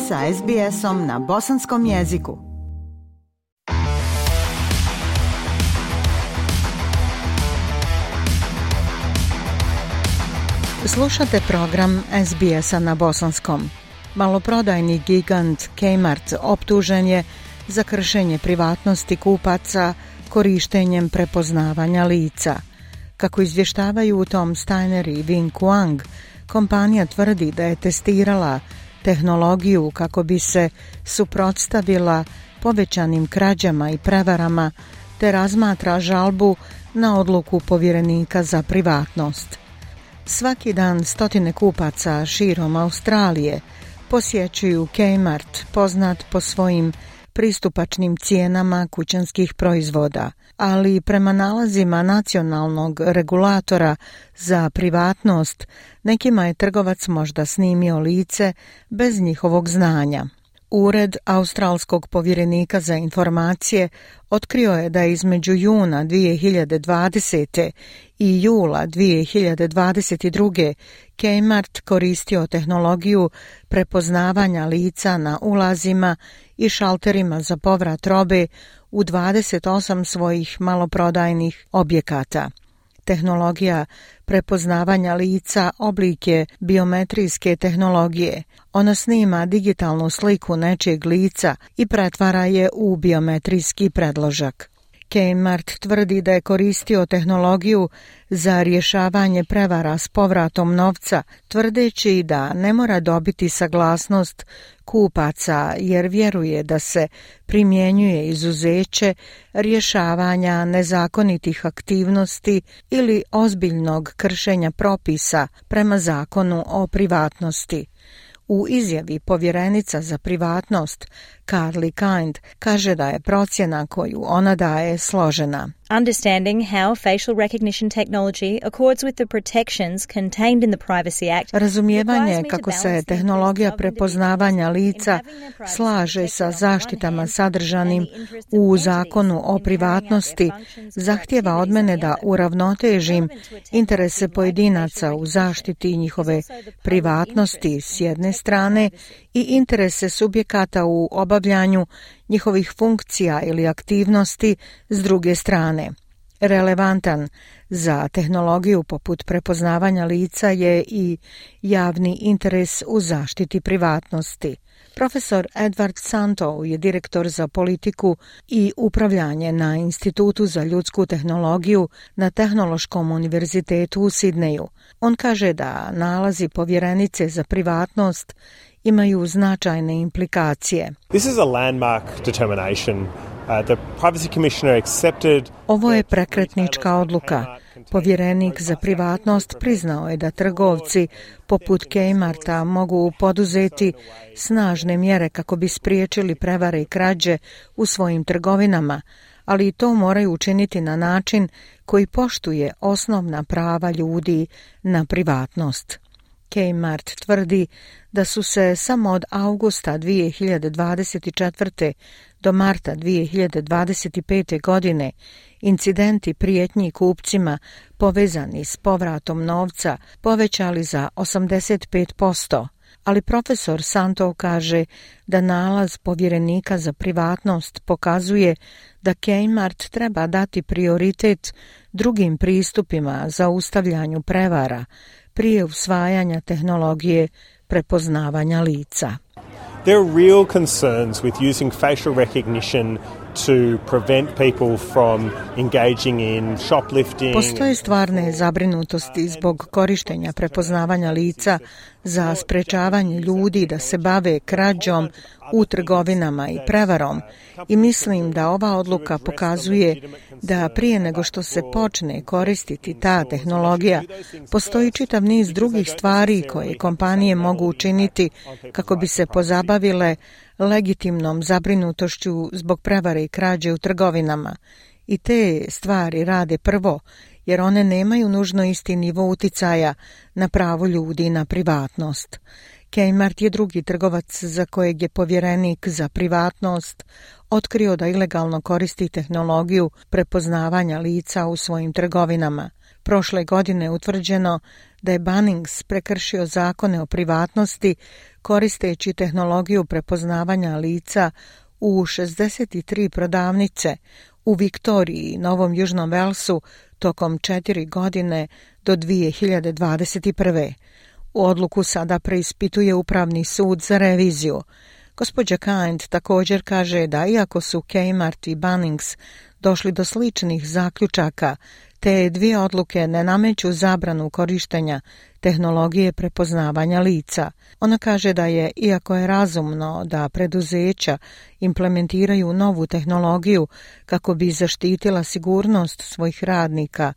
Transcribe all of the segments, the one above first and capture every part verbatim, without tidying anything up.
sa es be esom na bosanskom jeziku. Slušate program es be esa na bosanskom. Maloprodajni gigant Kmart optužen je za kršenje privatnosti kupaca korištenjem prepoznavanja lica. Kako izvještavaju Tom Steiner i Wing Kuang, kompanija tvrdi da je testirala tehnologiju kako bi se suprotstavila povećanim krađama i prevarama, te razmatra žalbu na odluku povjerenika za privatnost. Svaki dan stotine kupaca širom Australije posjećuju Kmart, poznat po svojim pristupačnim cijenama kućanskih proizvoda, ali prema nalazima nacionalnog regulatora za privatnost, nekima je trgovac možda snimio lice bez njihovog znanja. Ured australskog povjerenika za informacije otkrio je da je između juna dvije hiljade dvadesete i jula dvije hiljade dvadeset druge. Kmart koristio tehnologiju prepoznavanja lica na ulazima i šalterima za povrat robe u dvadeset osam svojih maloprodajnih objekata. Tehnologija prepoznavanja lica oblik je biometrijske tehnologije. Ona snima digitalnu sliku nečijeg lica i pretvara je u biometrijski predložak. Kmart tvrdi da je koristio tehnologiju za rješavanje prevara s povratom novca, tvrdeći da ne mora dobiti saglasnost kupaca jer vjeruje da se primjenjuje izuzeće rješavanja nezakonitih aktivnosti ili ozbiljnog kršenja propisa prema zakonu o privatnosti. U izjavi povjerenica za privatnost Carly Kind kaže da je procjena koju ona daje složena. Understanding how facial recognition technology accords with the protections contained in the Privacy Act. Razumijevanje kako se tehnologija prepoznavanja lica slaže sa zaštitama sadržanim u zakonu o privatnosti zahtijeva od mene da uravnotežim interese pojedinaca u zaštiti njihove privatnosti s jedne strane i interese subjekata u obavljanju njihovih funkcija ili aktivnosti s druge strane. Relevantan za tehnologiju poput prepoznavanja lica je i javni interes u zaštiti privatnosti. Profesor Edward Santow je direktor za politiku i upravljanje na Institutu za ljudsku tehnologiju na Tehnološkom univerzitetu u Sidneju. On kaže da nalazi povjerenice za privatnost imaju značajne implikacije. This is a landmark determination. Uh, the Privacy Commissioner accepted. Ovo je prekretnička odluka. Povjerenik za privatnost priznao je da trgovci poput Kmarta mogu poduzeti snažne mjere kako bi spriječili prevare i krađe u svojim trgovinama, ali to moraju učiniti na način koji poštuje osnovna prava ljudi na privatnost. Kmart tvrdi da su se samo od avgusta dvije hiljade dvadeset četvrte. do marta dvije hiljade dvadeset pete. godine incidenti prijetnji kupcima povezani s povratom novca povećali za osamdeset pet posto, ali profesor Santow kaže da nalaz povjerenika za privatnost pokazuje da Kmart treba dati prioritet drugim pristupima za ustavljanju prevara prije usvajanja tehnologije prepoznavanja lica. There are real concerns with using facial recognition to prevent people from engaging in shoplifting. Postoje stvarne zabrinutosti zbog korištenja prepoznavanja lica za sprečavanje ljudi da se bave krađom u trgovinama i prevarom i mislim da ova odluka pokazuje da prije nego što se počne koristiti ta tehnologija, postoji čitav niz drugih stvari koje kompanije mogu učiniti kako bi se pozabavile legitimnom zabrinutošću zbog prevare i krađe u trgovinama. I te stvari rade prvo, jer one nemaju nužno isti nivo uticaja na pravo ljudi na privatnost. Kmart je drugi trgovac za kojeg je povjerenik za privatnost otkrio da ilegalno koristi tehnologiju prepoznavanja lica u svojim trgovinama. Prošle godine je utvrđeno da je Bunnings prekršio zakone o privatnosti koristeći tehnologiju prepoznavanja lica u šezdeset tri prodavnice u Viktoriji i Novom Južnom Velsu tokom četiri godine do dvije hiljade dvadeset prve. U odluku sada preispituje Upravni sud za reviziju. Gospođa Kind također kaže da iako su Kmart i Bunnings došli do sličnih zaključaka, te dvije odluke ne nameću zabranu korištenja tehnologije prepoznavanja lica. Ona kaže da je, iako je razumno da preduzeća implementiraju novu tehnologiju kako bi zaštitila sigurnost svojih radnika,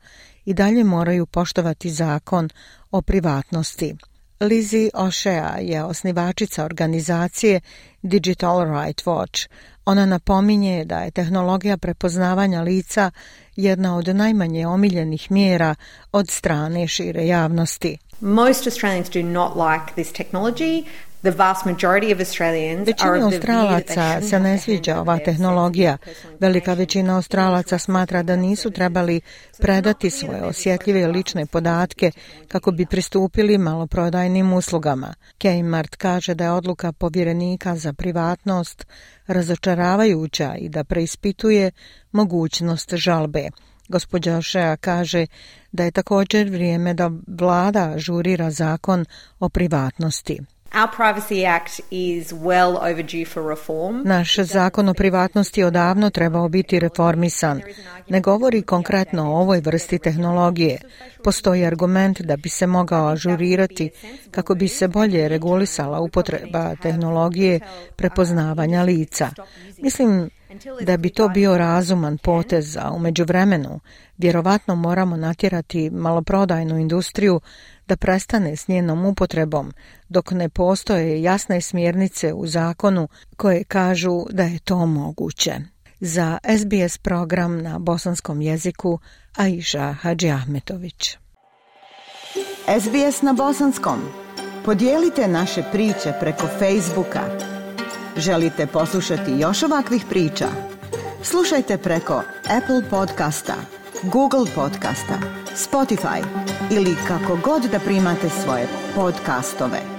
i dalje moraju poštovati zakon o privatnosti. Lizzie O'Shea je osnivačica organizacije Digital Rights Watch. Ona napominje da je tehnologija prepoznavanja lica jedna od najmanje omiljenih mjera od strane šire javnosti. Most Australians do not like this technology. The vast majority of Australians Većina are of the view that they Australaca shouldn't se ne have to sviđa hand ova over their tehnologija. sensitive personal Velika information. većina Australaca smatra da nisu trebali predati svoje osjetljive lične podatke kako bi pristupili maloprodajnim uslugama. Kmart kaže da je odluka povjerenika za privatnost razočaravajuća i da preispituje mogućnost žalbe. Gospođa O'Shea kaže da je također vrijeme da vlada ažurira zakon o privatnosti. Our Privacy Act is well overdue for reform. Naš zakon o privatnosti odavno trebao biti reformisan. Ne govori konkretno o ovoj vrsti tehnologije. Postoji argument da bi se mogao ažurirati kako bi se bolje regulisala upotreba tehnologije prepoznavanja lica. Mislim da bi to bio razuman potez, a u međuvremenu vjerovatno moramo natjerati maloprodajnu industriju da prestane s njenom upotrebom, dok ne postoje jasne smjernice u zakonu koje kažu da je to moguće. Za S B S program na bosanskom jeziku, Aisha Hadžiahmetović. S B S na bosanskom. Podijelite naše priče preko Facebooka. Želite poslušati još ovakvih priča? Slušajte preko Apple podcasta, Google podcasta, Spotify ili kako god da primate svoje podcastove.